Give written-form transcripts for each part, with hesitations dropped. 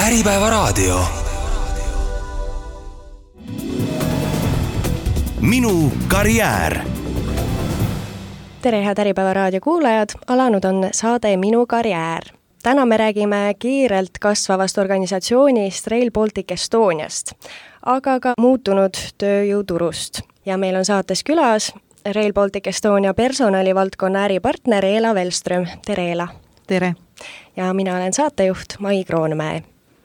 Äripäevaraadio. Minu karjäär. Tere, head Äripäevaraadio kuulajad, alanud on saade Minu karjäär. Täna me räägime kiirelt kasvavast organisatsioonist Rail Baltic Estoniast, aga ka muutunud tööjõuturust. Ja meil on saates külas Rail Baltic Estonia personalivaldkonna äripartner Eela Velström. Tere, Eela! Tere! Ja mina olen saatejuht Mai Kroonmäe.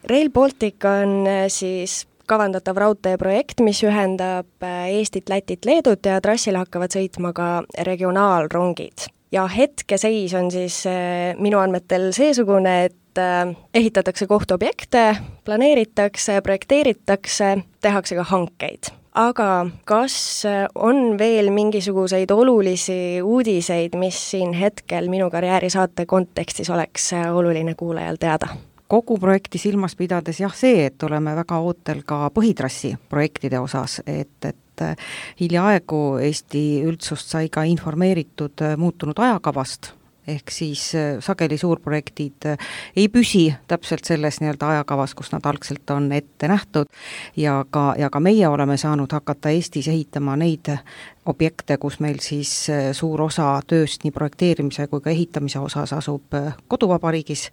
Rail Baltic on siis kavandatav raudteeprojekt, mis ühendab Eestit, Lätit, Leedut ja trassile hakkavad sõitma ka regionaalrongid. Ja hetkeseis on siis minu andmetel seesugune, et ehitatakse kohtuobjekte, planeeritakse, projekteeritakse, tehakse ka hankeid. Aga kas on veel mingisuguseid olulisi uudiseid, mis siin hetkel Minu karjääri saate kontekstis oleks oluline kuulajal teada? Kogu projekti silmas pidades see, et oleme väga ootel ka põhitrassi projektide osas, et hiljaaegu Eesti üldsust sai ka informeeritud muutunud ajakavast, ehk siis sageli suurprojektid ei püsi täpselt selles ajakavas, kus nad algselt on ette nähtud ja ka meie oleme saanud hakata Eestis ehitama neid objekte, kus meil siis suur osa tööst nii projekteerimise kui ka ehitamise osas asub koduvabariigis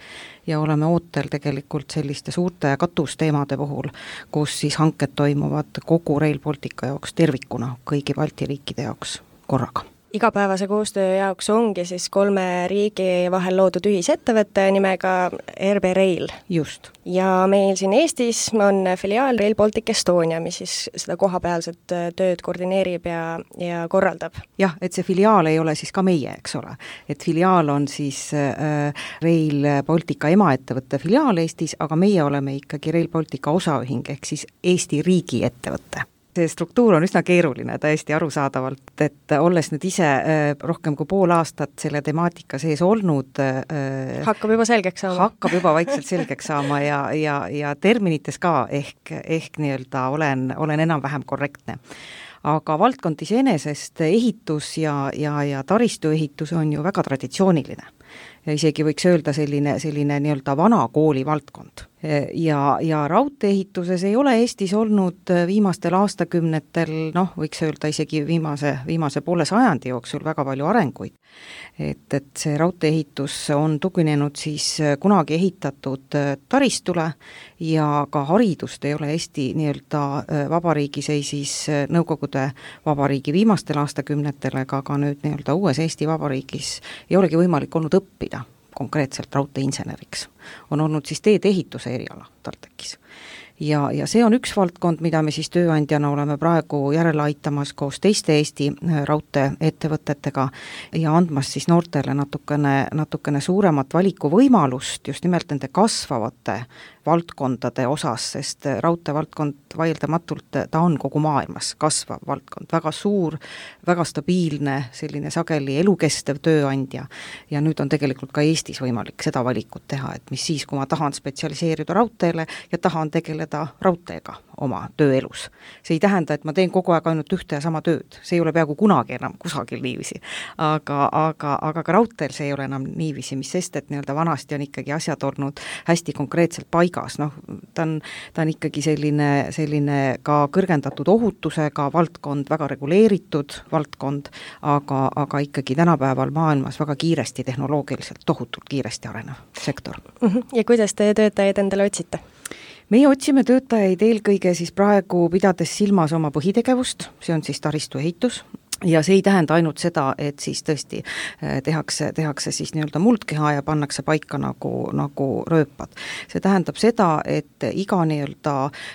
ja oleme ootel tegelikult selliste suurte katusteemade puhul, kus siis hanked toimuvad kogu Rail Baltica jaoks tervikuna, kõigi Balti riikide jaoks korraga. Igapäevase koostöö jaoks ongi siis 3 riigi vahel loodud ühisettevõtte nimega RB Rail. Just. Ja meil siin Eestis on filiaal Rail Baltic Estonia, mis siis seda kohapealset tööd koordineerib ja korraldab. Jah, et see filiaal ei ole siis ka meie, eks ole. Et filiaal on siis Rail Baltica emaettevõtte filiaal Eestis, aga meie oleme ikkagi Rail Baltica osaühing ehk siis Eesti riigi ettevõtte. See struktuur on üsna keeruline täiesti arusaadavalt, et olles nüüd ise rohkem kui pool aastat selle temaatika sees olnud, hakkab juba selgeks saama. Hakkab juba vaikselt selgeks saama ja terminites ka ehk olen enam-vähem korrektne. Aga valdkond iseenesest ehitus ja taristuehitus on ju väga traditsiooniline. Ja isegi võiks öelda selline vana kooli valdkond. Ja raudteeehituses ei ole Eestis olnud viimastel aastakümnetel, võiks öelda isegi viimase poole sajandi jooksul väga palju arenguid. Et see raudteeehitus on tuginenud siis kunagi ehitatud taristule ja ka haridust ei ole Eesti vabariigis ei siis Nõukogude vabariigi viimastel aastakümnetel ega ka nüüd uues Eesti vabariigis ei olegi võimalik olnud õppida konkreetselt raudteeinseneriks. On olnud siis teedeehituse eriala TalTechis. Ja see on üks valdkond, mida me siis tööandjana oleme praegu järele aitamas koos teiste Eesti raudteeettevõtetega ja andmas siis noortele natukene suuremat valikuvõimalust just nimelt nende kasvavate valdkondade osas, sest raudteevaldkond vaieldamatult ta on kogu maailmas kasvav valdkond, väga suur, väga stabiilne, selline sageli elukestev tööandja ja nüüd on tegelikult ka Eestis võimalik seda valikut teha, et mis siis, kui ma tahan spetsialiseerida raudteele ja tahan tegeleda raudteega oma tööelus. See ei tähenda, et ma teen kogu aeg ainult ühte ja sama tööd, see ei ole peaaegu kunagi enam kusagil niiviisi, aga ka raudteel see ei ole enam niiviisi, mis sest, et vanasti on ikkagi asjad olnud hästi konkreetselt paigas. Ta on ikkagi selline ka kõrgendatud ohutusega valdkond, väga reguleeritud valdkond, aga ikkagi tänapäeval maailmas väga kiiresti, tehnoloogiliselt tohutult kiiresti arenev sektor. Ja kuidas te töötajaid endale otsite? Meie otsime töötajaid eelkõige siis praegu pidades silmas oma põhitegevust, see on siis taristuehitus. Ja see ei tähenda ainult seda, et siis tõesti tehakse siis muldkeha ja pannakse paika nagu rööpad. See tähendab seda, et iga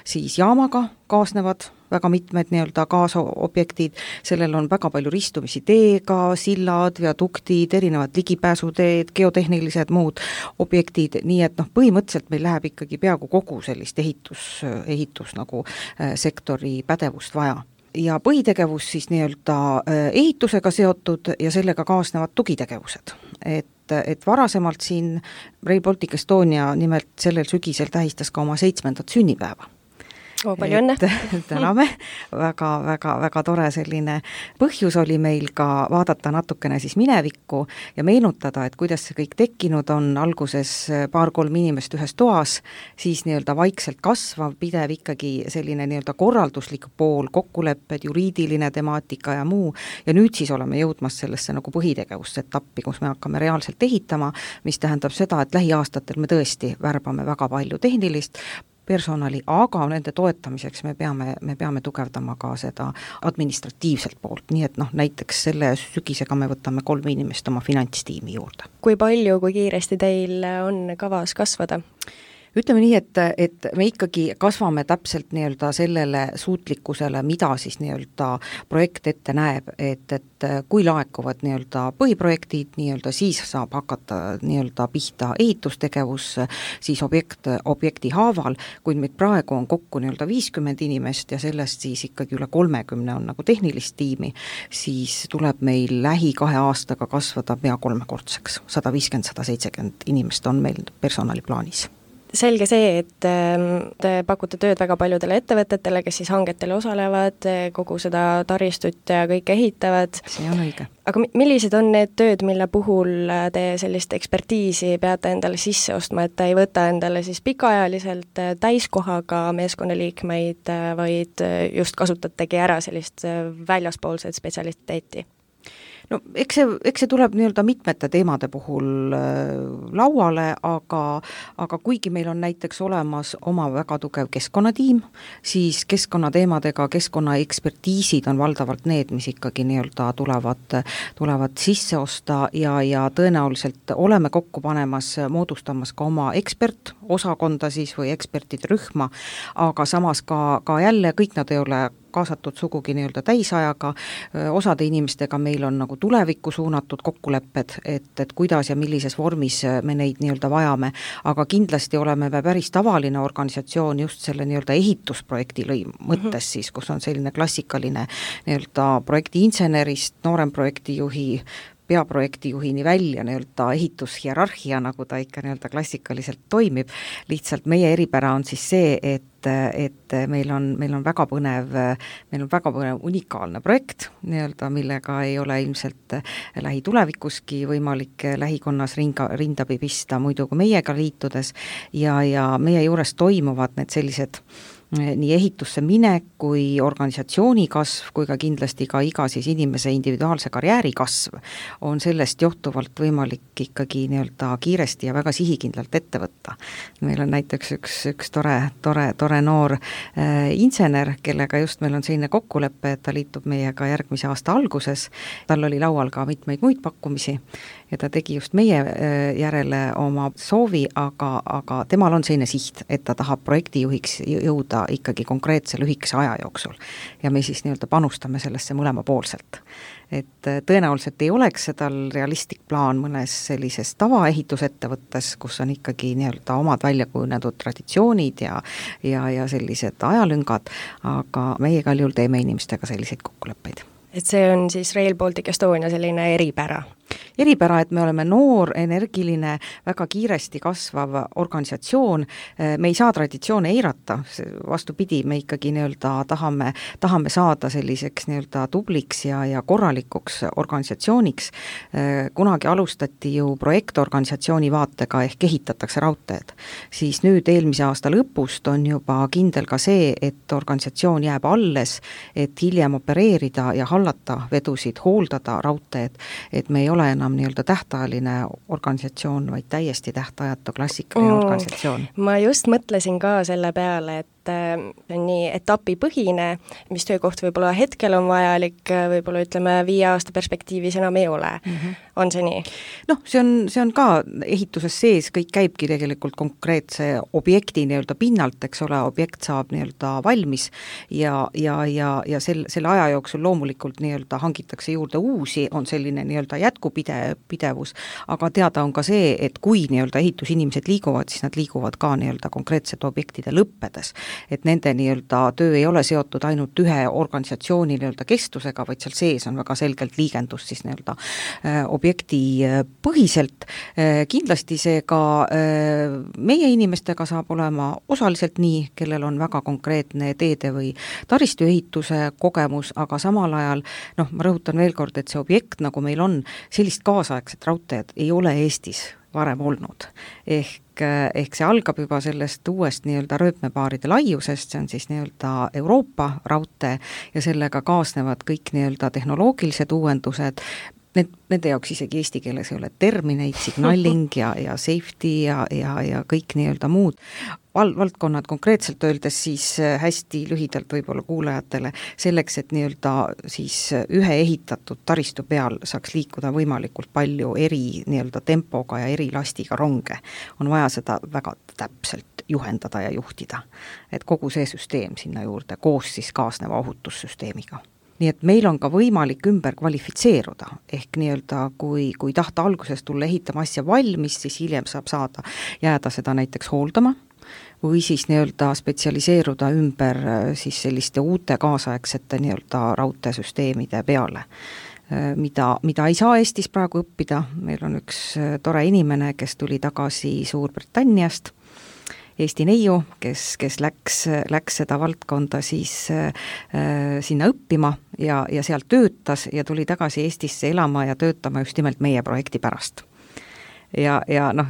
siis jaamaga kaasnevad väga mitmed kaasobjektid, sellel on väga palju ristumisi teega, sillad, viaduktid, erinevad ligipääsuteed, geotehnilised muud objektid, nii et põhimõtteliselt meil läheb ikkagi peaaegu kogu sellist ehitus nagu sektori pädevust vaja. Ja põhitegevus siis ehitusega seotud ja sellega kaasnevad tugitegevused. Et varasemalt siin Rail Baltic Estonia nimelt sellel sügisel tähistas ka oma 7. sünnipäeva. Palju õnne! Täname, väga tore selline põhjus oli meil ka vaadata natukene siis minevikku ja meenutada, et kuidas see kõik tekkinud on, alguses 2-3 inimest ühes toas, siis nii-öelda vaikselt kasvav, pidev ikkagi selline nii-öelda korralduslik pool, kokkulepped, juriidiline temaatika ja muu, ja nüüd siis oleme jõudmas sellesse nagu põhitegevusetappi, kus me hakkame reaalselt ehitama, mis tähendab seda, et lähiaastatel me tõesti värbame väga palju tehnilist personali, aga nende toetamiseks me peame tugevdama ka seda administratiivselt poolt, nii et näiteks selle sügisega me võtame 3 inimest oma finantstiimi juurde. Kui palju, kui kiiresti teil on kavas kasvada? Ütleme nii, et me ikkagi kasvame täpselt nii-öelda sellele suutlikkusele, mida siis nii-öelda projekt ette näeb, et kui laekuvad nii-öelda põhiprojektid, nii-öelda siis saab hakata nii-öelda pihta ehitustegevus, siis objekti haaval, kuid meid praegu on kokku nii-öelda 50 inimest ja sellest siis ikkagi üle 30 on nagu tehnilist tiimi, siis tuleb meil lähi 2 aastaga kasvada pea 3-kordseks. 150-170 inimest on meil personali plaanis. Selge see, et te pakute tööd väga paljudele ettevõtetele, kes siis hangetele osalevad, kogu seda taristut ja kõik ehitavad. See on õige. Aga millised on need tööd, mille puhul te sellist ekspertiisi peate endale sisse ostma, et te ei võta endale siis pikaajaliselt täiskohaga meeskonnaliikmeid, vaid just kasutategi ära sellist väljaspoolset spetsialiteeti? No eks see tuleb nii-öelda mitmete teemade puhul lauale, aga kuigi meil on näiteks olemas oma väga tugev keskkonnatiim, siis keskkonnateemadega keskkonnaekspertiisid on valdavalt need, mis ikkagi nii-öelda tulevad sisse osta ja tõenäoliselt oleme kokku panemas, moodustamas ka oma ekspertosakonda siis või ekspertide rühma, aga samas ka jälle kõik nad ei ole kaasatud sugugi nii-öelda täisajaga, osade inimestega meil on nagu tulevikku suunatud kokkulepped, et kuidas ja millises vormis me neid nii-öelda vajame, aga kindlasti oleme me päris tavaline organisatsioon just selle nii-öelda ehitusprojekti mõttes siis, kus on selline klassikaline nii-öelda projekti insenerist, noorem projektijuhi, peaprojektijuhini välja nii-öelda ehitushierarhia, nagu ta ikka nii-öelda klassikaliselt toimib, lihtsalt meie eripära on siis see, et meil on väga põnev unikaalne projekt, nii-öelda, millega ei ole ilmselt lähitulevikuski võimalik lähikonnas rinda pista, muidu kui meiega liitudes ja meie juures toimuvad need sellised nii ehitusse minek kui organisatsiooni kasv, kui ka kindlasti ka iga siis inimese individuaalse karjääri kasv on sellest johtuvalt võimalik ikkagi nii-öelda kiiresti ja väga sihikindlalt ette võtta. Meil on näiteks üks tore noor insener, kellega just meil on selline kokkulepe, et ta liitub meiega järgmise aasta alguses. Tal oli laual ka mitmeid muid pakkumisi ja ta tegi just meie järele oma soovi, aga temal on selline siht, et ta tahab projektijuhiks jõuda ikkagi konkreetse lühikese aja jooksul ja me siis nii-öelda panustame sellesse mõlemapoolselt. Et tõenäoliselt ei oleks see tal realistlik plaan mõnes sellises tavaehitusettevõttes, kus on ikkagi nii-öelda omad väljakujunenud traditsioonid ja sellised ajalüngad, aga meie igal juhul teeme inimestega selliseid kokkuleppeid. Et see on siis Rail Baltic Estonia selline eripära? Eripära, et me oleme noor, energiline, väga kiiresti kasvav organisatsioon, me ei saa traditsioone eirata, vastupidi, me ikkagi nii-öelda tahame saada selliseks nii-öelda tubliks ja korralikuks organisatsiooniks. Kunagi alustati ju projektorganisatsiooni vaatega ehk ehitatakse raudteed, siis nüüd eelmise aasta lõpust on juba kindel ka see, et organisatsioon jääb alles, et hiljem opereerida ja hallata vedusid, hooldada raudteed, et me ei ole enam nii-öelda tähtajaline organisatsioon, vaid täiesti tähtajatu klassikaline organisatsioon. Ma just mõtlesin ka selle peale, et nii etapipõhine, mis töökoht võib-olla hetkel on vajalik, võib-olla ütleme 5 aasta perspektiivis enam ei ole. On see nii? Noh, see on ka ehituses sees, kõik käibki tegelikult konkreetse objekti nii-öelda pinnalt, eks ole, objekt saab nii-öelda valmis ja selle aja jooksul loomulikult nii-öelda hangitakse juurde uusi, on selline nii-öelda jätkupidevus, aga teada on ka see, et kui nii-öelda ehitusinimesed liiguvad, siis nad liiguvad ka nii-öelda konkreetsete objektide lõppedes. et nende nii-öelda töö ei ole seotud ainult ühe organisatsiooni nii-öelda kestusega, vaid seal sees on väga selgelt liigendus siis nii-öelda objekti põhiselt. Kindlasti see ka meie inimestega saab olema osaliselt nii, kellel on väga konkreetne teede või taristuehituse kogemus, aga samal ajal, ma rõhutan veel kord, et see objekt, nagu meil on, sellist kaasaegset raudteed ei ole Eestis varem olnud. Ehk see algab juba sellest uuest nii-öelda rööpmepaaride laiusest, see on siis nii-öelda Euroopa raudtee ja sellega kaasnevad kõik nii-öelda tehnoloogilised uuendused. Nende jaoks isegi eesti keeles ei ole termineid, signaling ja safety ja kõik nii-öelda muud valdkonnad konkreetselt öeldes siis hästi lühidalt võib-olla kuulajatele selleks, et nii-öelda siis ühe ehitatud taristu peal saaks liikuda võimalikult palju eri nii-öelda tempoga ja eri lastiga ronge. On vaja seda väga täpselt juhendada ja juhtida, et kogu see süsteem sinna juurde koos siis kaasneva ohutussüsteemiga. Nii et meil on ka võimalik ümber kvalifitseeruda, ehk nii-öelda kui tahta alguses tulla ehitama asja valmis, siis hiljem saab jääda seda näiteks hooldama või siis nii-öelda spetsialiseeruda ümber siis selliste uute kaasaegsete nii-öelda raudteesüsteemide peale, mida ei saa Eestis praegu õppida. Meil on üks tore inimene, kes tuli tagasi Suurbritanniast, Eesti neiu, kes läks seda valdkonda siis sinna õppima ja sealt töötas ja tuli tagasi Eestisse elama ja töötama just nimelt meie projekti pärast. Ja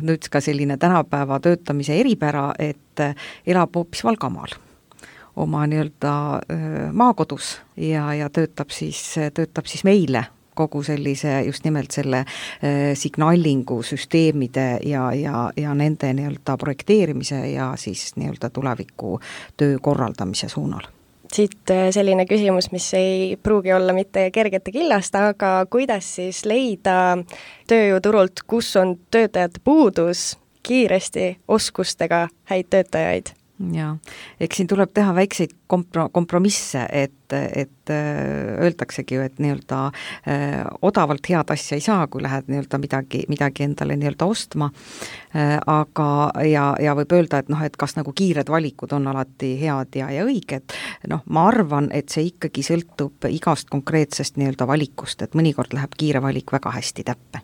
nüüd ka selline tänapäeva töötamise eripära, et elab hoopis Valgamaal oma nii-öelda maakodus ja töötab siis meile kogu sellise just nimelt selle signalingu süsteemide ja nende nii-öelda projekteerimise ja siis nii-öelda tuleviku töö korraldamise suunal. Siit selline küsimus, mis ei pruugi olla mitte kergete killast, aga kuidas siis leida tööjõuturult, kus on töötajate puudus, kiiresti oskustega häid töötajaid? Ja, eks siin tuleb teha väikseid kompromisse, et öeldaksegi ju, et nii-öelda odavalt head asja ei saa, kui lähed nii-öelda midagi endale nii-öelda ostma, aga ja võib öelda, et kas nagu kiired valikud on alati head ja õiged. Ma arvan, et see ikkagi sõltub igast konkreetsest nii-öelda valikust, et mõnikord läheb kiire valik väga hästi täppe.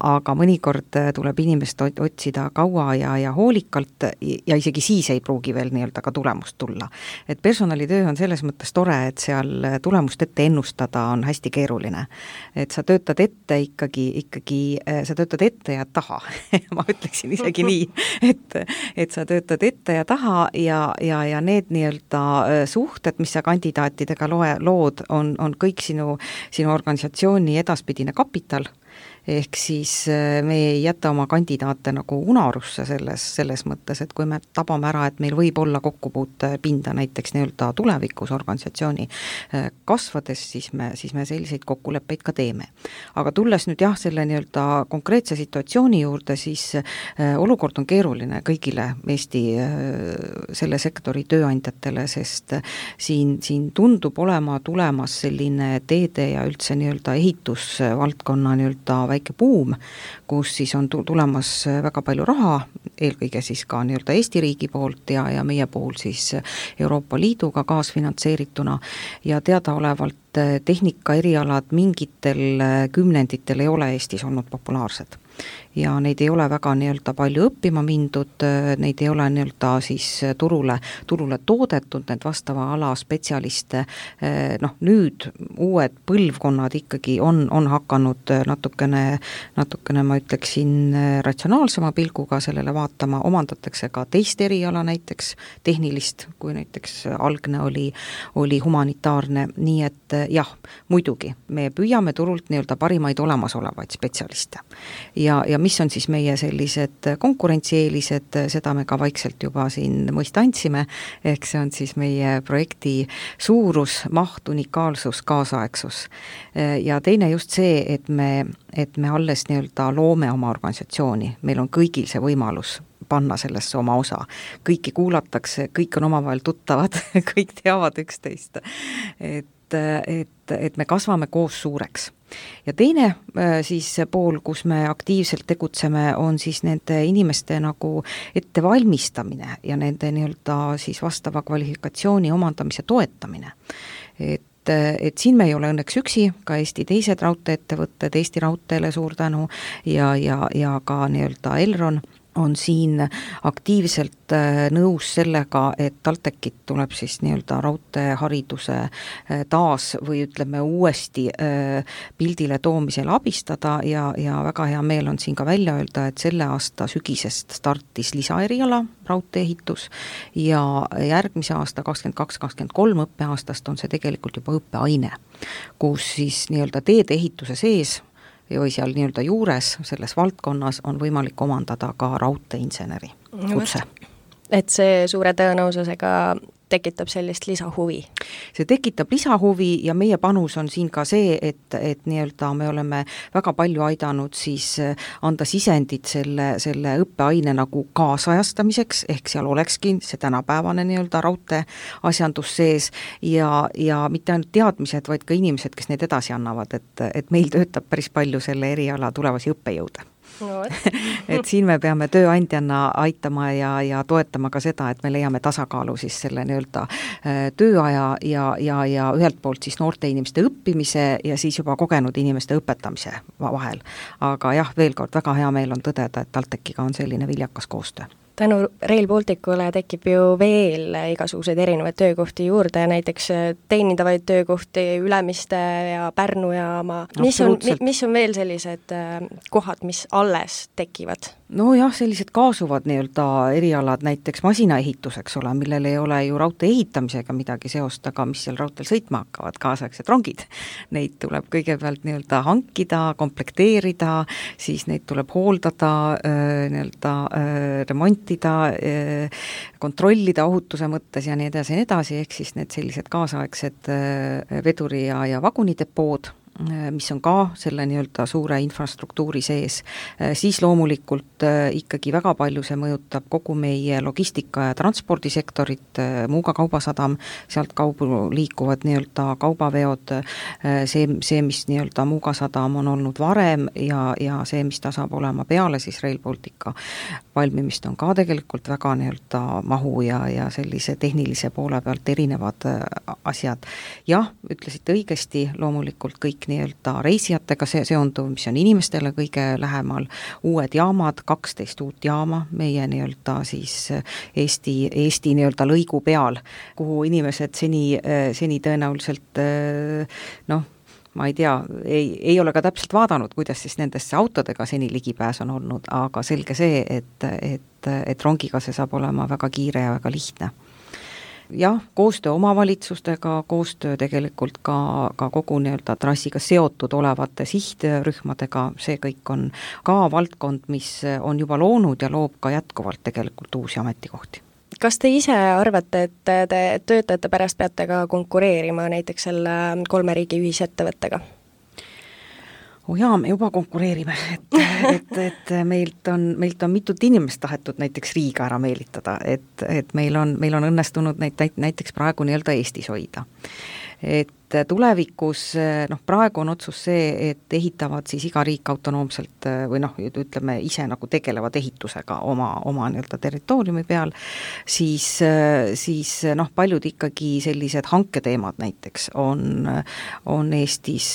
Aga mõnikord tuleb inimest otsida kaua ja hoolikalt ja isegi siis ei pruugi veel nii-öelda ka tulemust tulla. Et personalitöö on selles mõttes tore, et seal tulemust ette ennustada on hästi keeruline. Et sa töötad ette ikkagi sa töötad ette ja taha. Ma ütleksin isegi nii, et sa töötad ette ja taha ja need nii-öelda suhted, mis sa kandidaatidega lood, on kõik sinu organisatsiooni edaspidine kapital. Ehk siis me ei jäta oma kandidaate nagu unarusse selles mõttes, et kui me tabame ära, et meil võib olla kokkupuute pinda näiteks nii-öelda tulevikus organisatsiooni kasvades, siis me selliseid kokkuleppeid ka teeme. Aga tulles nüüd selle nii-öelda konkreetse situatsiooni juurde, siis olukord on keeruline kõigile Eesti selle sektori tööandjatele, sest siin tundub olema tulemas selline teede ja üldse nii-öelda ehitusvaldkonna nii-öelda väike buum, kus siis on tulemas väga palju raha, eelkõige siis ka nii-öelda Eesti riigi poolt ja meie puhul siis Euroopa Liiduga kaasfinantseerituna ja teadaolevalt tehnika erialad mingitel kümnenditel ei ole Eestis olnud populaarsed. Ja neid ei ole väga nii-öelda palju õppima mindud, neid ei ole nii-öelda siis turule toodetud, need vastava ala spetsialiste, nüüd uued põlvkonnad ikkagi on hakanud natukene ma ütleksin ratsionaalsema pilguga sellele vaatama, omandatakse ka teist eriala näiteks tehnilist, kui näiteks algne oli humanitaarne, nii et jah, muidugi, me püüame turult nii-öelda parimaid olemasolevaid spetsialiste ja mis on siis meie sellised konkurentsieelised, seda me ka vaikselt juba siin mõista andsime, ehk see on siis meie projekti suurus, maht, unikaalsus, kaasaegsus. Ja teine just see, et me alles nii-öelda loome oma organisatsiooni, meil on kõigil see võimalus panna sellesse oma osa. Kõiki kuulatakse, kõik on omavahel tuttavad, kõik teavad üksteist. et me kasvame koos suureks. Ja teine siis pool, kus me aktiivselt tegutseme, on siis nende inimeste nagu ettevalmistamine ja nende nii-öelda siis vastava kvalifikatsiooni omandamise toetamine. Et siin me ei ole õnneks üksi, ka Eesti teised raudteeettevõtted, Eesti Raudteele suur tänu ja ka nii-öelda Elron on siin aktiivselt nõus sellega, et TalTechit tuleb siis nii-öelda raudteehariduse taas või ütleme uuesti pildile toomisel abistada ja väga hea meel on siin ka välja öelda, et selle aasta sügisest startis lisaeriala raudteeehitus ja järgmise aasta 22-23 õppeaastast on see tegelikult juba õppeaine, kus siis nii-öelda teedeehituse sees või seal nii-öelda juures selles valdkonnas on võimalik omandada ka raudteeinseneri kutse. Et see suure tõenäosusega tekitab sellist lisahuvi? See tekitab lisahuvi ja meie panus on siin ka see, et nii-öelda me oleme väga palju aidanud siis anda sisendit selle õppeaine nagu kaasajastamiseks, ehk seal olekski see tänapäevane nii-öelda raudtee asjandus sees ja mitte ainult teadmised, vaid ka inimesed, kes neid edasi annavad, et meil töötab päris palju selle eriala tulevasi õppejõude. No, et siin me peame tööandjana aitama ja toetama ka seda, et me leiame tasakaalu siis selle nii-öelda tööaja ja ühelt poolt siis noorte inimeste õppimise ja siis juba kogenud inimeste õpetamise vahel. Aga jah, veel kord väga hea meel on tõdeda, et TalTechiga on selline viljakas koostöö. Tänu Rail Balticule tekib ju veel igasuguseid erinevaid töökohti juurde, näiteks teenindavaid töökohti Ülemiste ja Pärnu jaama. Mis on veel sellised kohad, mis alles tekivad? No jah, sellised kaasuvad nii-öelda erialad, näiteks masinaehitus, eks ole, millel ei ole ju raudtee ehitamisega midagi seost, aga mis seal raudteel sõitma hakkavad, kaasaegsed rongid. Neid tuleb kõigepealt nii-öelda hankida, komplekteerida, siis neid tuleb hooldada, nii-öelda remontida, kontrollida ohutuse mõttes ja nii edasi, ehk siis need sellised kaasaegsed veduri ja vagunidepood, mis on ka selle nii-öelda suure infrastruktuuri sees, siis loomulikult ikkagi väga palju see mõjutab kogu meie logistika ja transpordisektorit, Muuga kaubasadam, sealt kaubu liikuvad nii-öelda kaubaveod, see, mis nii-öelda Muuga sadam on olnud varem ja see, mis ta saab olema peale siis Rail Baltica valmimist, on ka tegelikult väga nii-öelda mahu ja sellise tehnilise poole pealt erinevad asjad. Jah, ütlesite õigesti, loomulikult kõik nii-öelda reisijatega seonduv, mis on inimestele kõige lähemal, uued jaamad, 12 uut jaama meie nii-öelda siis Eesti nii-öelda lõigu peal, kuhu inimesed seni tõenäoliselt ma ei tea, ei ole ka täpselt vaadanud, kuidas siis nendesse autodega seni ligipääs on olnud, aga selge see, et rongiga see saab olema väga kiire ja väga lihtne. Jah, koostöö omavalitsustega, koostöö tegelikult ka kogu nii-öelda trassiga seotud olevate sihtrühmadega, see kõik on ka valdkond, mis on juba loonud ja loob ka jätkuvalt tegelikult uusi ametikohti. Kas te ise arvate, et te töötajate pärast peate ka konkureerima näiteks selle 3 riigi ühisettevõttega? Jaa, me juba konkureerime, et meilt on mitut inimest tahetud näiteks Riiga ära meelitada, et meil on õnnestunud näiteks praegu nii-öelda Eestis hoida. Et tulevikus, praegu on otsus see, et ehitavad siis iga riik autonoomselt või ütleme ise nagu tegelevad ehitusega oma nii-öelda territooriumi peal, siis paljud ikkagi sellised hanketeemad näiteks on Eestis,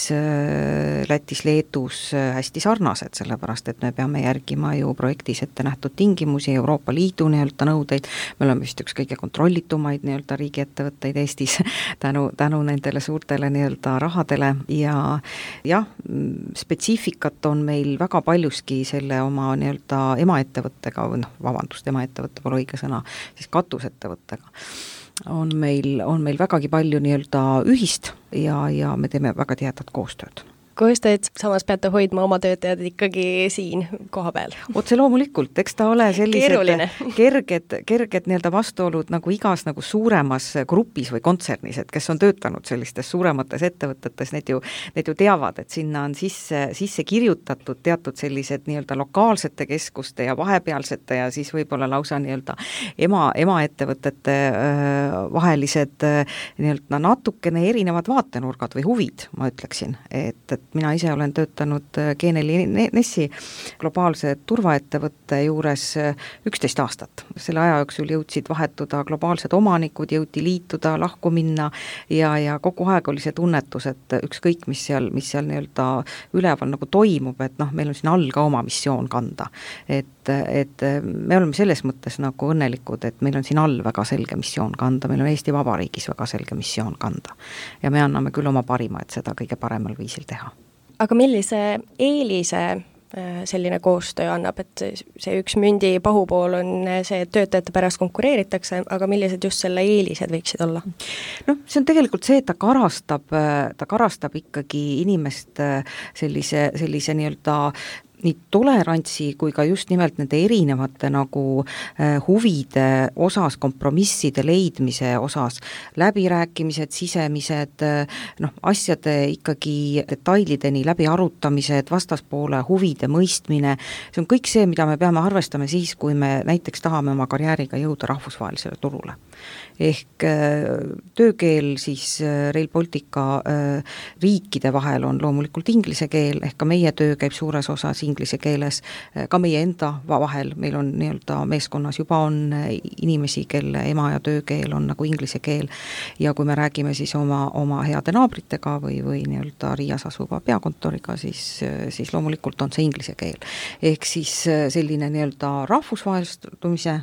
Lätis, Leedus hästi sarnased, sellepärast et me peame järgima ju projektis ette nähtud tingimusi, Euroopa Liidu nii-öelda nõudeid, me oleme vist üks kõige kontrollitumaid nii-öelda riigiettevõtteid Eestis tänu nendele suurtele nii-öelda rahadele ja jah, spetsiifikat on meil väga paljuski selle oma nii-öelda emaettevõttega, emaettevõtte pole õige sõna, siis katusettevõttega on meil vägagi palju nii-öelda ühist ja me teeme väga tihedat koostööd. koostööd, samas peate hoidma oma töötajad ikkagi siin koha peal. Otse loomulikult, eks ta ole sellised kerged nii-öelda vastuolud nagu igas nagu suuremas grupis või kontsernis, et kes on töötanud sellistes suuremates ettevõtetes, need ju teavad, et sinna on sisse kirjutatud teatud sellised nii-öelda lokaalsete keskuste ja vahepealsete ja siis võib-olla lausa nii-öelda emaettevõtete vahelised nii-öelda natukene erinevad vaatenurgad või huvid, ma ütleksin, et mina ise olen töötanud Geneli Nessi globaalse turvaettevõtte juures 11 aastat. Selle aja jooksul jõudsid vahetuda globaalsed omanikud, jõuti liituda, lahku minna ja kogu aeg oli see tunnetus, et ükskõik, mis seal nii-öelda üleval nagu toimub, et meil on siin all ka oma missioon kanda. Et me oleme selles mõttes nagu õnnelikud, et meil on siin all väga selge missioon kanda, meil on Eesti Vabariigis väga selge missioon kanda. Ja me anname küll oma parima, et seda kõige paremal viisil teha. Aga millise eelise selline koostöö annab, et see üks mündi pahupool on see, et töötajate pärast konkureeritakse, aga millised just selle eelised võiksid olla? See on tegelikult see, et ta karastab ikkagi inimest sellise nii-öelda nii tolerantsi kui ka just nimelt nende erinevate nagu huvide osas, kompromisside leidmise osas, läbirääkimised, sisemised, asjade ikkagi detailideni läbi arutamised, vastaspoole huvide mõistmine, see on kõik see, mida me peame arvestama siis, kui me näiteks tahame oma karjääriga jõuda rahvusvahelisele turule. Ehk töökeel siis Rail Baltica riikide vahel on loomulikult inglise keel, ehk ka meie töö käib suures osas inglise keeles, ka meie enda vahel, meil on nii-öelda meeskonnas juba on inimesi, kelle ema ja töökeel on nagu inglise keel ja kui me räägime siis oma heade naabritega või nii-öelda Riias asuva peakontoriga, siis loomulikult on see inglise keel. Ehk siis selline nii-öelda rahvusvahelistumise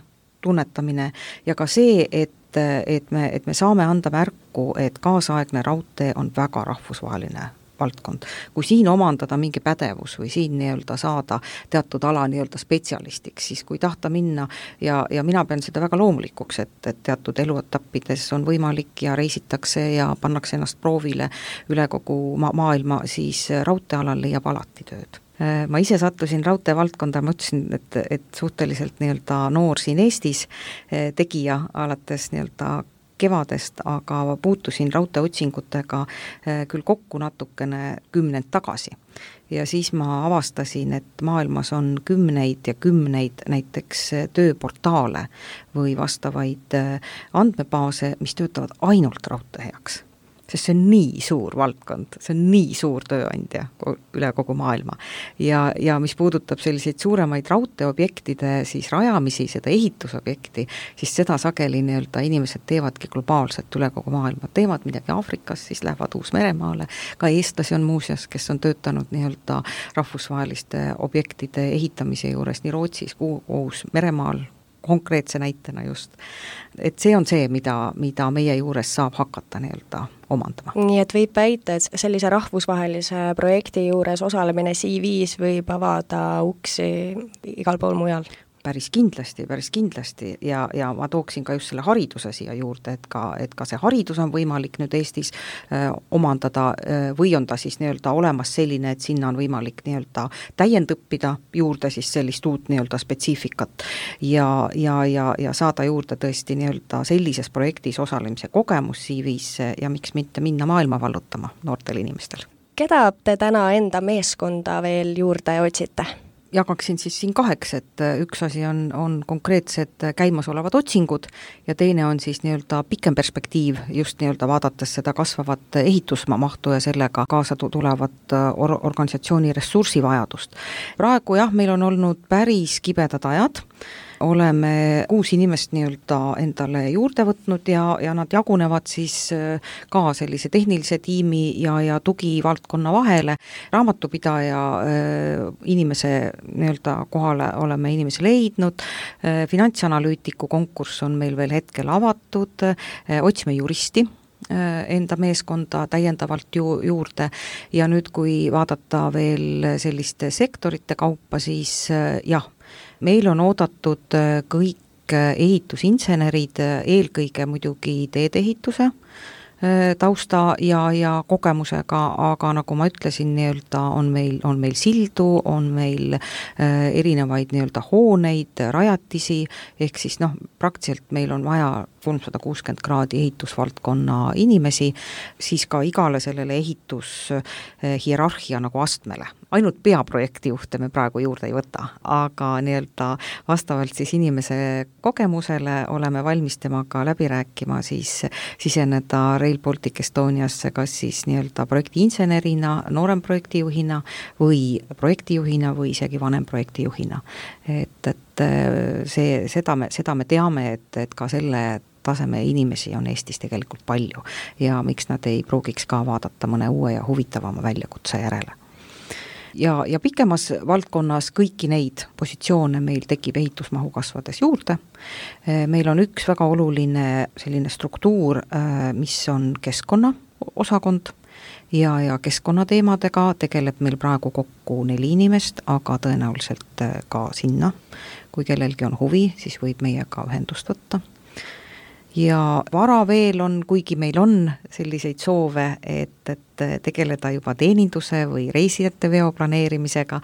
tunnetamine ja ka see, et me saame anda märku, et kaasaegne raudtee on väga rahvusvaheline valdkond. Kui siin omandada mingi pädevus või siin nii-öelda saada teatud ala nii-öelda spetsialistiks, siis kui tahta minna ja mina pean seda väga loomulikuks, et teatud eluetappides on võimalik ja reisitakse ja pannakse ennast proovile üle kogu maailma, siis raudteealal leiab alati tööd. Ma ise sattusin raudtee valdkonda, ma ütlesin, et suhteliselt nii-öelda noor siin Eestis tegija alates nii-öelda kevadest, aga puutusin raudteeotsingutega küll kokku natukene 10 tagasi. Ja siis ma avastasin, et maailmas on kümneid ja kümneid näiteks tööportaale või vastavaid andmebaase, mis töötavad ainult raudtee heaks. Sest see on nii suur valdkond, see on nii suur tööandja üle kogu maailma. Ja mis puudutab selliseid suuremaid raudteeobjektide siis rajamisi, seda ehitusobjekti, siis seda sageli nii-öelda inimesed teevadki globaalselt üle kogu maailma. Teevad midagi Afrikas, siis lähevad Uus-Meremaale. Ka eestlasi on muuseas, kes on töötanud nii-öelda rahvusvaheliste objektide ehitamise juures nii Rootsis kui Uus-Meremaal, konkreetse näitena just. Et see on see, mida meie juures saab hakata nii-öelda omandama. Nii et võib väita, et sellise rahvusvahelise projekti juures osalemine CV-s võib avada uksi igal pool mujal? Päris kindlasti ja ma tooksin ka just selle hariduse siia juurde, et ka see haridus on võimalik nüüd Eestis omandada või on ta siis nii-öelda olemas selline, et sinna on võimalik nii-öelda täiendõppida juurde siis sellist uut nii-öelda spetsiifikat ja saada juurde tõesti nii-öelda sellises projektis osalemise kogemus CV-sse ja miks mitte minna maailma vallutama noortel inimestel. Keda te täna enda meeskonda veel juurde otsite? Jagaksin siis siin 2, et üks asi on konkreetsed käimasolevad otsingud ja teine on siis nii-öelda pikem perspektiiv, just nii-öelda vaadates seda kasvavat ehitusmahtu ja sellega kaasa tulevat organisatsiooni ressursivajadust. Praegu meil on olnud päris kibedad ajad, oleme 6 inimest nii-öelda endale juurde võtnud ja nad jagunevad siis ka sellise tehnilise tiimi ja tugivaldkonna vahele. Raamatupidaja inimese nii-öelda kohale oleme inimese leidnud, finantsanalüütiku konkurss on meil veel hetkel avatud, otsime juristi enda meeskonda täiendavalt juurde ja nüüd, kui vaadata veel selliste sektorite kaupa, siis meil on oodatud kõik ehitusinsenerid, eelkõige muidugi teedeehituse tausta ja kogemusega, aga nagu ma ütlesin, nii-öelda on meil sildu, on meil erinevaid nii-öelda hooneid, rajatisi, ehk siis praktiliselt meil on vaja 360 kraadi ehitusvaldkonna inimesi, siis ka igale sellele ehitushierarhia nagu astmele. Ainult peaprojekti juhte me praegu juurde ei võta, aga nii-öelda vastavalt siis inimese kogemusele oleme valmis temaga läbi rääkima, siis siseneda Rail Baltic Estoniasse kas siis nii-öelda projektiinsenerina, noorem projektijuhina või projektijuhina või isegi vanem projektijuhina. Et seda me teame, et ka selle taseme inimesi on Eestis tegelikult palju ja miks nad ei pruugiks ka vaadata mõne uue ja huvitavama väljakutse järele. Ja pikemas valdkonnas kõiki neid positsioone meil tekib ehitusmahu kasvades juurde. Meil on üks väga oluline selline struktuur, mis on keskkonna osakond ja keskkonnateemadega tegeleb meil praegu kokku 4 inimest, aga tõenäoliselt ka sinna, kui kellelgi on huvi, siis võib meiega ühendust võtta. Ja vara veel on, kuigi meil on selliseid soove, et tegeleda juba teeninduse või reisijate veo planeerimisega,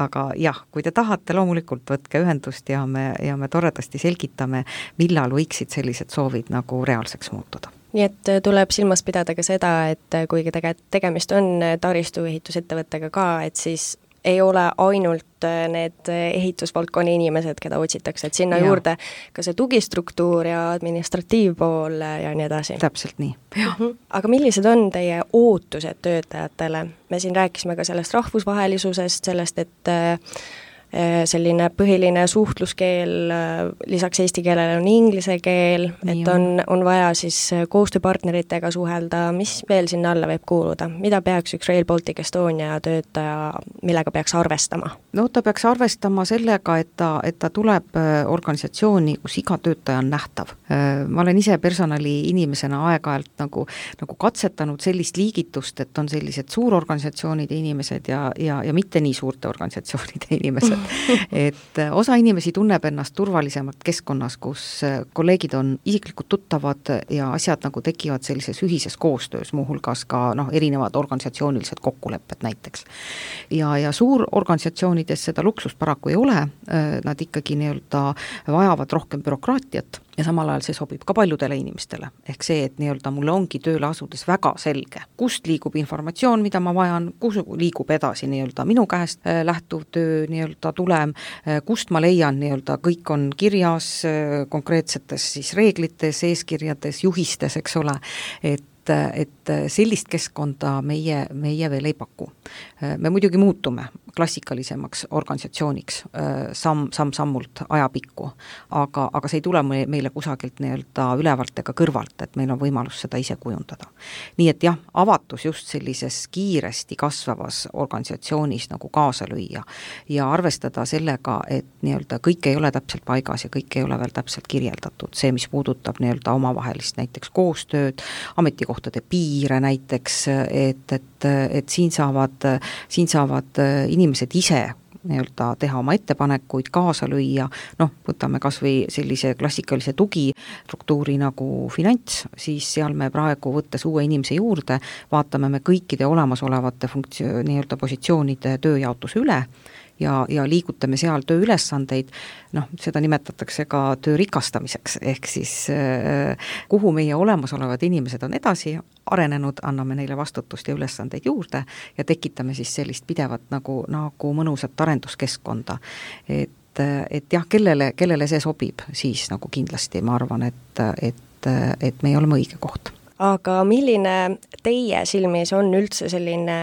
aga jah, kui te tahate, loomulikult võtke ühendust ja me toredasti selgitame, millal võiksid sellised soovid nagu reaalseks muutuda. Nii et tuleb silmas pidada ka seda, et kuigi tegemist on taristuehitusettevõttega ka, et siis ei ole ainult need ehitusvaldkonna inimesed, keda otsitakse, et sinna juurde ka see tugistruktuur ja administratiivpool ja nii edasi. Täpselt nii. Aga millised on teie ootused töötajatele? Me siin rääkisime ka sellest rahvusvahelisusest, sellest, et selline põhiline suhtluskeel lisaks eesti keelele on inglise keel, et on vaja siis koostööpartneritega suhelda, mis veel sinna alla võib kuuluda? Mida peaks üks Rail Baltic Estonia töötaja, millega peaks arvestama? No ta peaks arvestama sellega, et ta tuleb organisatsiooni, kus iga töötaja on nähtav. Ma olen ise personali inimesena aeg-ajalt nagu katsetanud sellist liigitust, et on sellised suurorganisatsioonide inimesed ja mitte nii suurte organisatsioonide inimesed. Et osa inimesi tunneb ennast turvalisemalt keskkonnas, kus kolleegid on isiklikult tuttavad ja asjad nagu tekivad sellises ühises koostöös, muuhulgas ka erinevad organisatsioonilised kokkulepped näiteks. Ja suurorganisatsioonides seda luksust paraku ei ole, nad ikkagi nii-öelda vajavad rohkem bürokraatiat ja samal ajal see sobib ka paljudele inimestele. Ehk see, et nii-öelda mulle ongi tööle asudes väga selge, kust liigub informatsioon, mida ma vajan, kus liigub edasi nii-öelda minu käest lähtuv töö nii-öelda tulem, kust ma leian nii-öelda kõik on kirjas konkreetsetes siis reeglites, eeskirjades, juhistes, eks ole, et sellist keskkonda meie veel ei paku. Me muidugi muutume klassikalisemaks organisatsiooniks sammult ajapikku, aga see ei tule meile kusagilt nii-öelda ülevalt ega kõrvalt, et meil on võimalus seda ise kujundada. Nii et jah, avatus just sellises kiiresti kasvavas organisatsioonis nagu kaasa lüüa ja arvestada sellega, et nii-öelda kõik ei ole täpselt paigas ja kõik ei ole veel täpselt kirjeldatud. See, mis puudutab nii-öelda omavahelist näiteks koostööd, ametikohtade piire näiteks, et siin saavad inimesed ise nii-öelda teha oma ettepanekuid, kaasa lüüa, võtame kas või sellise klassikalise tugistruktuuri nagu finants, siis seal me praegu võttes uue inimese juurde, vaatame me kõikide olemasolevate nii-öelda positsioonide tööjaotuse üle ja liigutame seal tööülesandeid, seda nimetatakse ka töö rikastamiseks, ehk siis kuhu meie olemasolevad inimesed on edasi arenenud, anname neile vastutust ja ülesandeid juurde ja tekitame siis sellist pidevat nagu mõnusat arenduskeskkonda. Et jah, kellele see sobib, siis nagu kindlasti ma arvan, et me oleme õige koht. Aga milline teie silmis on üldse selline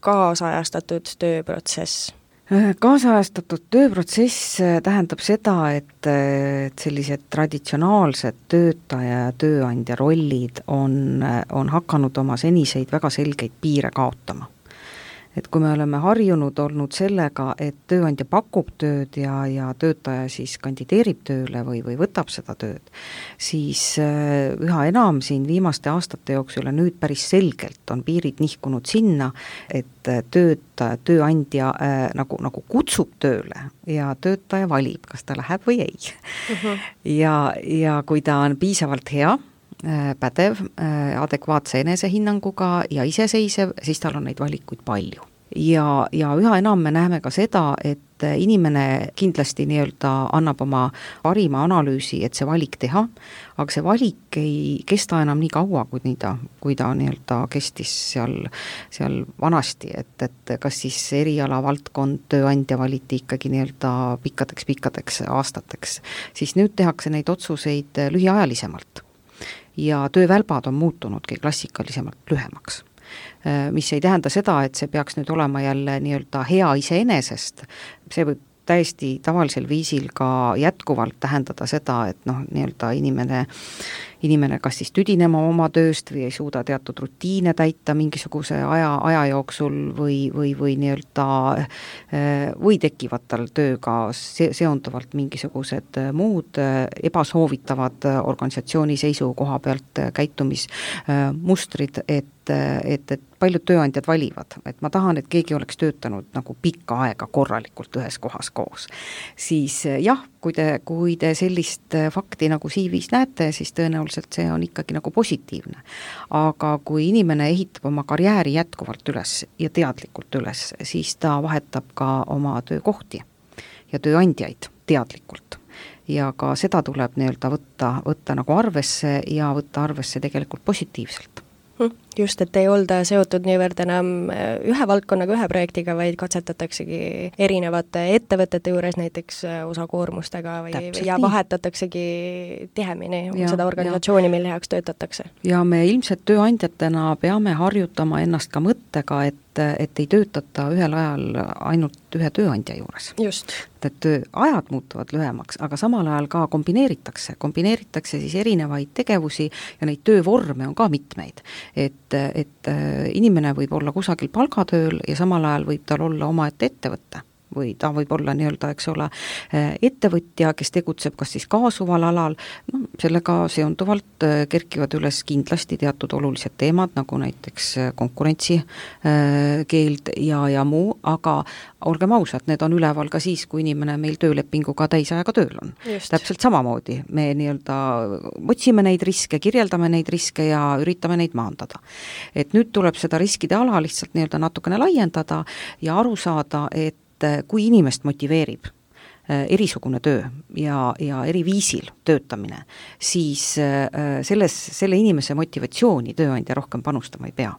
kaasajastatud tööprotsess? Kaasajastatud tööprotsess tähendab seda, et sellised traditsionaalsed töötaja ja tööandja rollid on hakanud oma seniseid väga selgeid piire kaotama. Et kui me oleme harjunud olnud sellega, et tööandja pakub tööd ja töötaja siis kandideerib tööle või võtab seda tööd, siis üha enam siin viimaste aastate jooksul ja nüüd päris selgelt on piirid nihkunud sinna, et tööandja nagu kutsub tööle ja töötaja valib, kas ta läheb või ei. Ja kui ta on piisavalt hea, pädev, adekvaatse enesehinnanguga ja iseseisev, siis tal on neid valikuid palju. Ja üha enam me näeme ka seda, et inimene kindlasti nii-öelda annab oma parima analüüsi, et see valik teha, aga see valik ei kesta enam nii kaua, kui ta nii-öelda kestis seal vanasti, et kas siis eriala valdkond, tööandja valiti ikkagi nii-öelda pikkadeks aastateks, siis nüüd tehakse neid otsuseid lühiajalisemalt. Ja töövälbad on muutunudki klassikalisemalt lühemaks. Mis ei tähenda seda, et see peaks nüüd olema jälle nii-öelda hea iseenesest, see võib täiesti tavalisel viisil ka jätkuvalt tähendada seda, et nii-öelda inimene kas siis tüdinema oma tööst või ei suuda teatud rutiine täita mingisuguse aja jooksul või nii-öelda või tekivad tal tööga seonduvalt mingisugused muud ebasoovitavad organisatsiooni seisukoha pealt käitumismustrid, et paljud tööandjad valivad, et ma tahan, et keegi oleks töötanud nagu pikka aega korralikult ühes kohas koos. Siis jah, kui te sellist fakti nagu CV-s näete, siis tõenäoliselt see on ikkagi nagu positiivne. Aga kui inimene ehitab oma karjääri jätkuvalt üles ja teadlikult üles, siis ta vahetab ka oma töökohti ja tööandjaid teadlikult. Ja ka seda tuleb nii-öelda võtta nagu arvesse ja võtta arvesse tegelikult positiivselt. Just, et ei olda seotud niivõrd enam ühe valdkonnaga, ühe projektiga, vaid katsetataksegi erinevate ettevõtete juures näiteks osakoormustega ja vahetataksegi tihemini seda organisatsiooni, mille heaks töötatakse. Ja me ilmselt tööandjatena peame harjutama ennast ka mõttega, et ei töötata ühel ajal ainult ühe tööandja juures. Just. Et tööajad muutuvad lühemaks, aga samal ajal ka kombineeritakse siis erinevaid tegevusi ja neid töövorme on ka mitmeid. Et inimene võib olla kusagil palgatööl ja samal ajal võib tal olla omaette ettevõtte või ta võib olla nii-öelda, eks ole, ettevõtja, kes tegutseb kas siis kaasuval alal, sellega seonduvalt kerkivad üles kindlasti teatud olulised teemad, nagu näiteks konkurentsi keeld ja muu, aga olgem ausad, need on üleval ka siis, kui inimene meil töölepinguga täisajaga tööl on. Just. Täpselt samamoodi, me nii-öelda otsime neid riske, kirjeldame neid riske ja üritame neid maandada. Et nüüd tuleb seda riskide ala lihtsalt nii-öelda natukene laiendada ja aru saada, et kui inimest motiveerib erisugune töö ja eri viisil töötamine, siis selle inimese motivatsiooni tööandja rohkem panustama ei pea.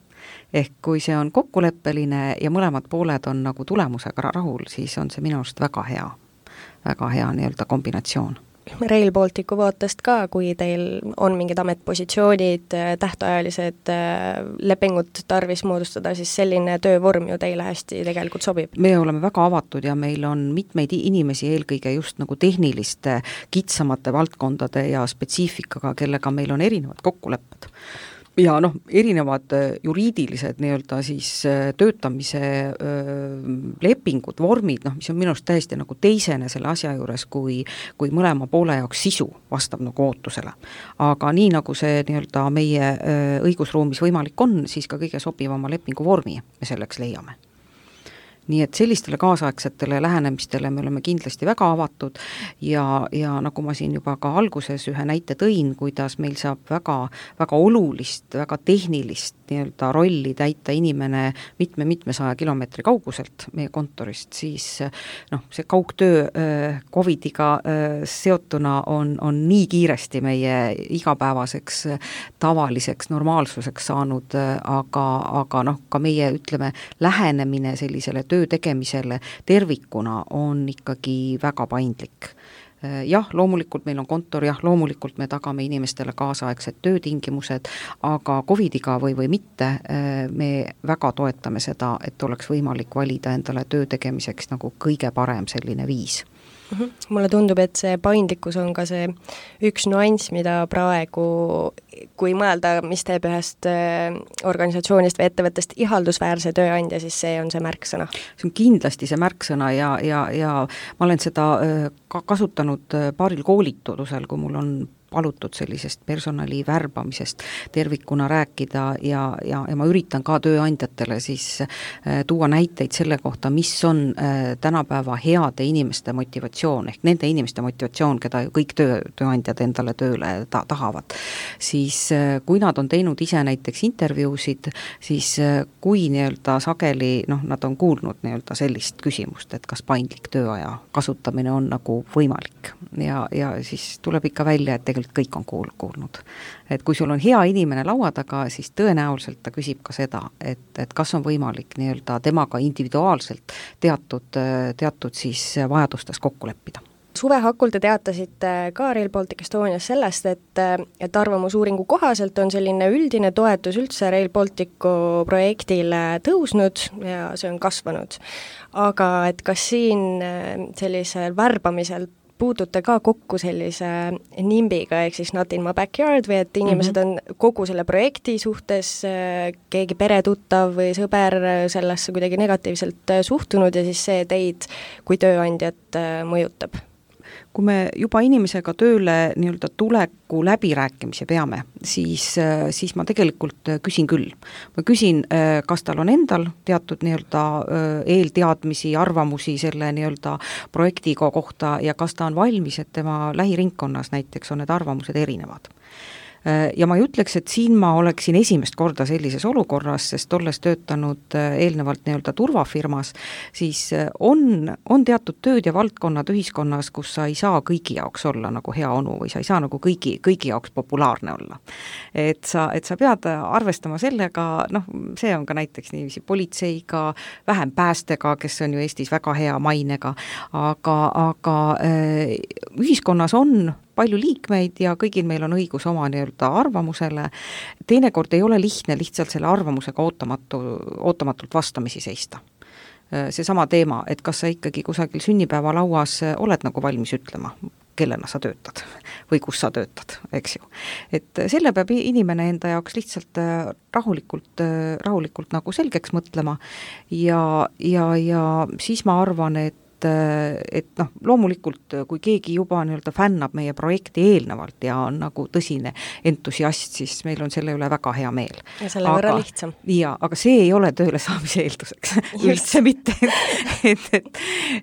Ehk kui see on kokkuleppeline ja mõlemad pooled on nagu tulemusega rahul, siis on see minu arust väga hea nii-öelda kombinatsioon. Rail Balticu vaatest ka, kui teil on mingid ametpositsioonid, tähtajalised lepingud tarvis moodustada, siis selline töövorm ju teile hästi tegelikult sobib. Me oleme väga avatud ja meil on mitmeid inimesi, eelkõige just nagu tehniliste kitsamate valdkondade ja spetsiifikaga, kellega meil on erinevad kokkulepped. Ja erinevad juriidilised nii-öelda siis töötamise lepingud, vormid, mis on minust täiesti nagu teisene selle asja juures, kui mõlema poole jaoks sisu vastab nagu ootusele. Aga nii nagu see nii-öelda meie õigusruumis võimalik on, siis ka kõige sobivama lepingu vormi me selleks leiame. Nii et sellistele kaasaegsetele lähenemistele me oleme kindlasti väga avatud ja nagu ma siin juba ka alguses ühe näite tõin, kuidas meil saab väga, väga olulist, väga tehnilist nii-öelda rolli täita inimene mitme 100 kilomeetri kauguselt meie kontorist, siis see kaugtöö COVIDiga seotuna on nii kiiresti meie igapäevaseks tavaliseks normaalsuseks saanud, aga ka meie ütleme lähenemine sellisele töö tegemisele tervikuna on ikkagi väga paindlik. Jah, loomulikult meil on kontor, loomulikult me tagame inimestele kaasaegsed töötingimused, aga COVIDiga või mitte, me väga toetame seda, et oleks võimalik valida endale töö tegemiseks nagu kõige parem selline viis. Mulle tundub, et see paindlikkus on ka see üks nüanss, mida praegu, kui mõelda, mis teeb ühest organisatsioonist või ettevõttest ihaldusväärse tööandja, siis see on see märksõna. See on kindlasti see märksõna ja ma olen seda kasutanud paaril koolitusel, kui mul on palutud sellisest personali värbamisest tervikuna rääkida ja ma üritan ka tööandjatele siis tuua näiteid selle kohta, mis on tänapäeva heade inimeste motivatsioon, ehk nende inimeste motivatsioon, keda ju kõik tööandjad endale tööle tahavad. Siis kui nad on teinud ise näiteks intervjuusid, siis kui nii-öelda sageli, nad on kuulnud nii-öelda sellist küsimust, et kas paindlik tööaja kasutamine on nagu võimalik ja siis tuleb ikka välja, et tegelikult kõik on kuulnud. Et kui sul on hea inimene laua taga, siis tõenäoliselt ta küsib ka seda, et kas on võimalik nii-öelda temaga individuaalselt teatud siis vajadustes kokku leppida. Suve hakul te teatasite ka Rail Baltic Estonias sellest, et arvamusuuringu kohaselt on selline üldine toetus üldse Rail Balticu projektile tõusnud ja see on kasvanud. Aga et kas siin sellisel värbamisel puutute ka kokku sellise nimbiga, ehk siis not in my backyard, või et inimesed on kogu selle projekti suhtes, keegi peretuttav või sõber sellesse kuidagi negatiivselt suhtunud ja siis see teid kui tööandjat mõjutab? Kui me juba inimesega tööle nii-öelda tuleku läbirääkimise peame, siis ma tegelikult küsin küll. Ma küsin, kas tal on endal teatud nii-öelda eelteadmisi, arvamusi selle nii-öelda projekti kohta ja kas ta on valmis, et tema lähiringkonnas näiteks on need arvamused erinevad. Ja ma ei ütleks, et siin ma oleksin esimest korda sellises olukorras, sest olles töötanud eelnevalt nii-öelda turvafirmas, siis on teatud tööd ja valdkonnad ühiskonnas, kus sa ei saa kõigi jaoks olla nagu hea onu või sa ei saa nagu kõigi jaoks populaarne olla. Et sa pead arvestama sellega, see on ka näiteks niiviisi politseiga, vähem päästega, kes on ju Eestis väga hea mainega, aga ühiskonnas on palju liikmeid ja kõigil meil on õigus oma nii-öelda arvamusele. Teinekord ei ole lihtne lihtsalt selle arvamusega ootamatult vastamisi seista. Seesama teema, et kas sa ikkagi kusagil sünnipäeva lauas oled nagu valmis ütlema, kellena sa töötad või kus sa töötad, eks ju. Et selle peab inimene enda jaoks lihtsalt rahulikult nagu selgeks mõtlema ja siis ma arvan, et loomulikult, kui keegi juba nii-öelda fännab meie projekti eelnevalt ja on nagu tõsine entusiast, siis meil on selle üle väga hea meel. Ja selle võrra lihtsam. Aga see ei ole tööle saamise eelduseks. Üldse mitte.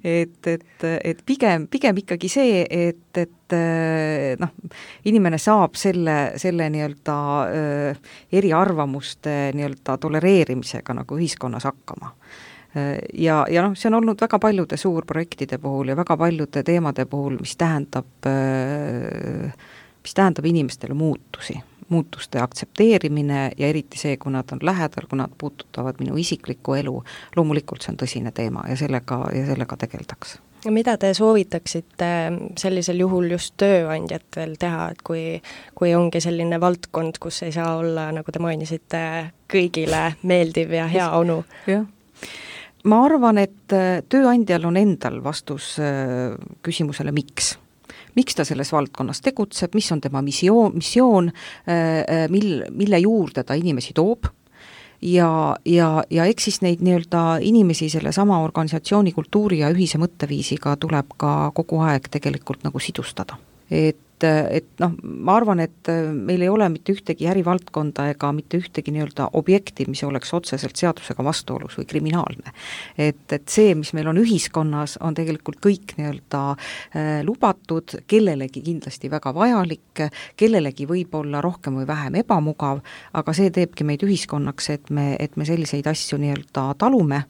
et pigem ikkagi see, et inimene saab selle nii-öelda eriarvamuste nii-öelda tolereerimisega nagu ühiskonnas hakkama. Ja see on olnud väga paljude suurprojektide puhul ja väga paljude teemade puhul, mis tähendab inimestele muutuste aktsepteerimine ja eriti see, kui nad on lähedal, kui nad puudutavad minu isiklikku elu, loomulikult see on tõsine teema ja sellega tegeldaks. Ja mida te soovitaksite sellisel juhul just tööandjatel teha, et kui ongi selline valdkond, kus ei saa olla, nagu te mainisite, kõigile meeldiv ja hea onu? Jah. Ma arvan, et tööandjal on endal vastus küsimusele miks. Miks ta selles valdkonnas tegutseb, mis on tema missioon, mille juurde ta inimesi toob ja eks siis neid nii-öelda inimesi selle sama organisatsiooni kultuuri ja ühise mõtteviisiga tuleb ka kogu aeg tegelikult nagu sidustada. Et ma arvan, et meil ei ole mitte ühtegi ärivaldkonda ega mitte ühtegi nii-öelda objekti, mis oleks otseselt seadusega vastuolus või kriminaalne. Et see, mis meil on ühiskonnas, on tegelikult kõik nii-öelda lubatud, kellelegi kindlasti väga vajalik, kellelegi võib olla rohkem või vähem ebamugav, aga see teebki meid ühiskonnaks, et me selliseid asju nii-öelda talume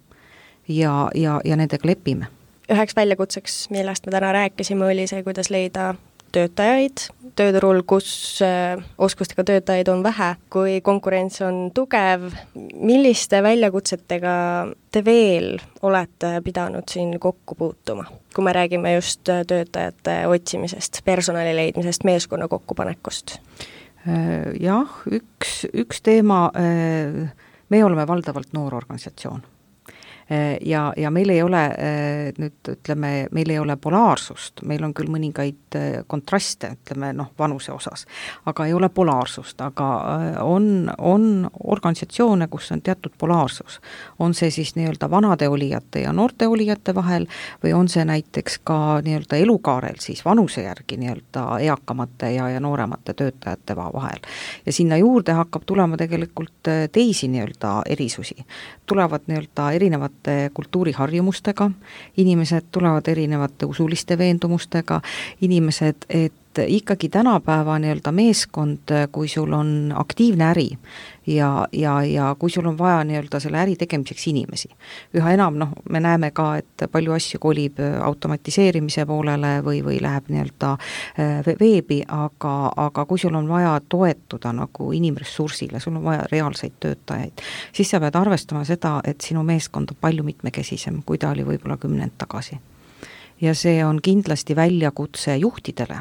ja nendega lepime. Üheks väljakutseks, millest me täna rääkisime, oli see, kuidas leida töötajaid tööturul, kus oskustega töötajaid on vähe, kui konkurents on tugev. Milliste väljakutsetega te veel olete pidanud siin kokku puutuma, kui me räägime just töötajate otsimisest, personali leidmisest, meeskonna kokkupanekust? Jah, üks teema, me oleme valdavalt noor organisatsioon. ja meil ei ole nüüd ütleme, meil ei ole polaarsust, meil on küll mõningaid kontraste, ütleme vanuse osas, aga ei ole polaarsust, aga on organisatsioone, kus on teatud polaarsus. On see siis nii-öelda vanade olijate ja noorte olijate vahel või on see näiteks ka nii-öelda elukaarel siis vanuse järgi nii-öelda eakamate ja nooremate töötajate vahel. Ja sinna juurde hakkab tulema tegelikult teisi nii-öelda erisusi. Tulevad nii-öelda erinevate kultuuriharjumustega, inimesed tulevad erinevate usuliste veendumustega, inimesed, et ikkagi tänapäeva nii-öelda meeskond, kui sul on aktiivne äri ja kui sul on vaja nii-öelda selle äri tegemiseks inimesi. Üha enam, me näeme ka, et palju asju kolib automatiseerimise poolele või läheb nii-öelda veebi, aga kui sul on vaja toetuda nagu inimressursile, sul on vaja reaalseid töötajaid, siis sa pead arvestama seda, et sinu meeskond on palju mitmekesisem, kui ta oli võib-olla 10 tagasi. Ja see on kindlasti väljakutse juhtidele,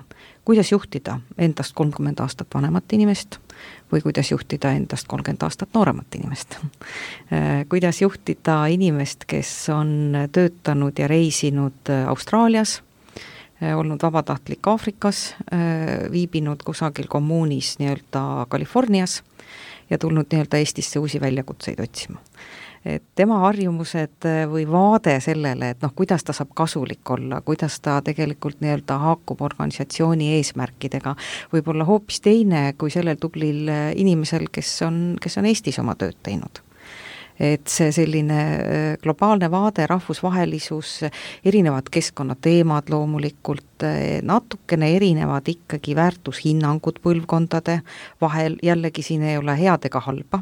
kuidas juhtida endast 30 aastat vanemat inimest või kuidas juhtida endast 30 aastat nooremat inimest. Kuidas juhtida inimest, kes on töötanud ja reisinud Austraalias, olnud vabatahtlik Aafrikas, viibinud kusagil kommuunis nii-öelda Californias ja tulnud nii-öelda Eestisse uusi väljakutseid otsima. Et tema harjumused või vaade sellele, et kuidas ta saab kasulik olla, kuidas ta tegelikult nii-öelda haakub organisatsiooni eesmärkidega, võib olla hoopis teine kui sellel tublil inimesel, kes on Eestis oma tööd teinud. Et see selline globaalne vaade, rahvusvahelisus, erinevad keskkonnateemad loomulikult, natukene erinevad ikkagi väärtushinnangud põlvkondade vahel, jällegi siin ei ole head ega halba,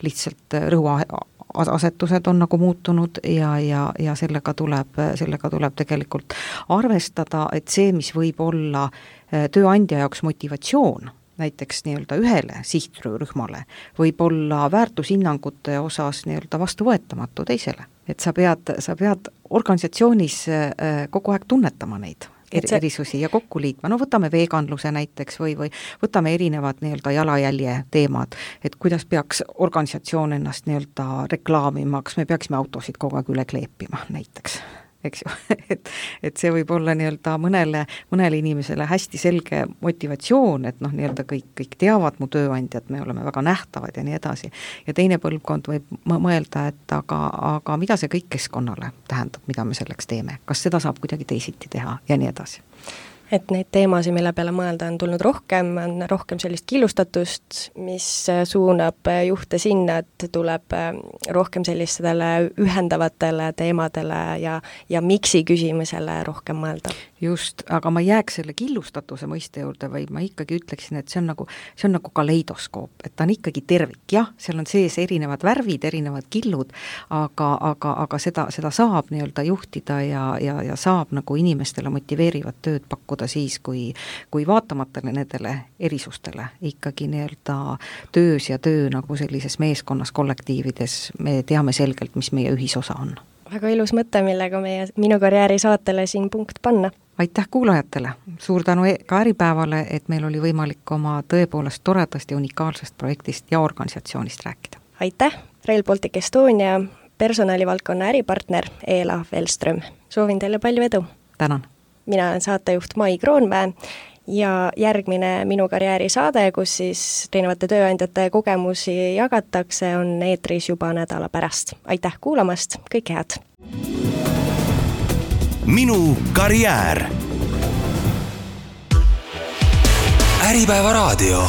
lihtsalt rõhuasetused on nagu muutunud ja sellega tuleb tegelikult arvestada, et see, mis võib olla tööandja jaoks motivatsioon, näiteks nii-öelda ühele sihtrühmale, võib olla väärtushinnangute osas nii-öelda vastuvõetamatu teisele. Et sa pead organisatsioonis kogu aeg tunnetama neid erisusi ja kokku liitma. Võtame veganluse näiteks või võtame erinevad nii-öelda jalajälje teemad, et kuidas peaks organisatsioon ennast nii-öelda reklaamima, kas me peaksime autosid kogu aeg üle kleepima näiteks. Eks ju, et see võib olla nii-öelda mõnele inimesele hästi selge motivatsioon, et nii-öelda kõik teavad mu tööandjad, me oleme väga nähtavad ja nii edasi. Ja teine põlvkond võib mõelda, et aga mida see kõik keskkonnale tähendab, mida me selleks teeme, kas seda saab kuidagi teisiti teha ja nii edasi. Et neid teemasid, mille peale mõelda on tulnud on rohkem sellist killustatust, mis suunab juhte sinna, et tuleb rohkem sellistele ühendavatele teemadele ja miksi küsimusele rohkem mõelda. Just, aga ma jääks selle killustatuse mõiste juurde, või ma ikkagi ütleksin, et see on nagu kaleidoskoop, et ta on ikkagi tervik, jah, seal on sees erinevad värvid, erinevad killud, aga seda saab nii-öelda juhtida ja saab nagu inimestele motiveerivat tööd pakkuda siis, kui vaatamata nendele erisustele ikkagi nii-öelda töös ja töö nagu sellises meeskonnas, kollektiivides me teame selgelt, mis meie ühisosa on. Väga ilus mõte, millega meie Minu karjääri saatele siin punkt panna. Aitäh kuulajatele, suur tänu ka Äripäevale, et meil oli võimalik oma tõepoolest toredast ja unikaalsest projektist ja organisatsioonist rääkida. Aitäh, Rail Baltic Estonia personalivaldkonna äripartner Eela Velström. Soovin teile palju edu. Tänan. Mina olen saatejuht Mai Kroonmäe ja järgmine Minu karjääri saade, kus siis erinevate tööandjate kogemusi jagatakse, on eetris juba nädala pärast. Aitäh kuulamast, kõike head! Minu karjäär. Äripäeva raadio.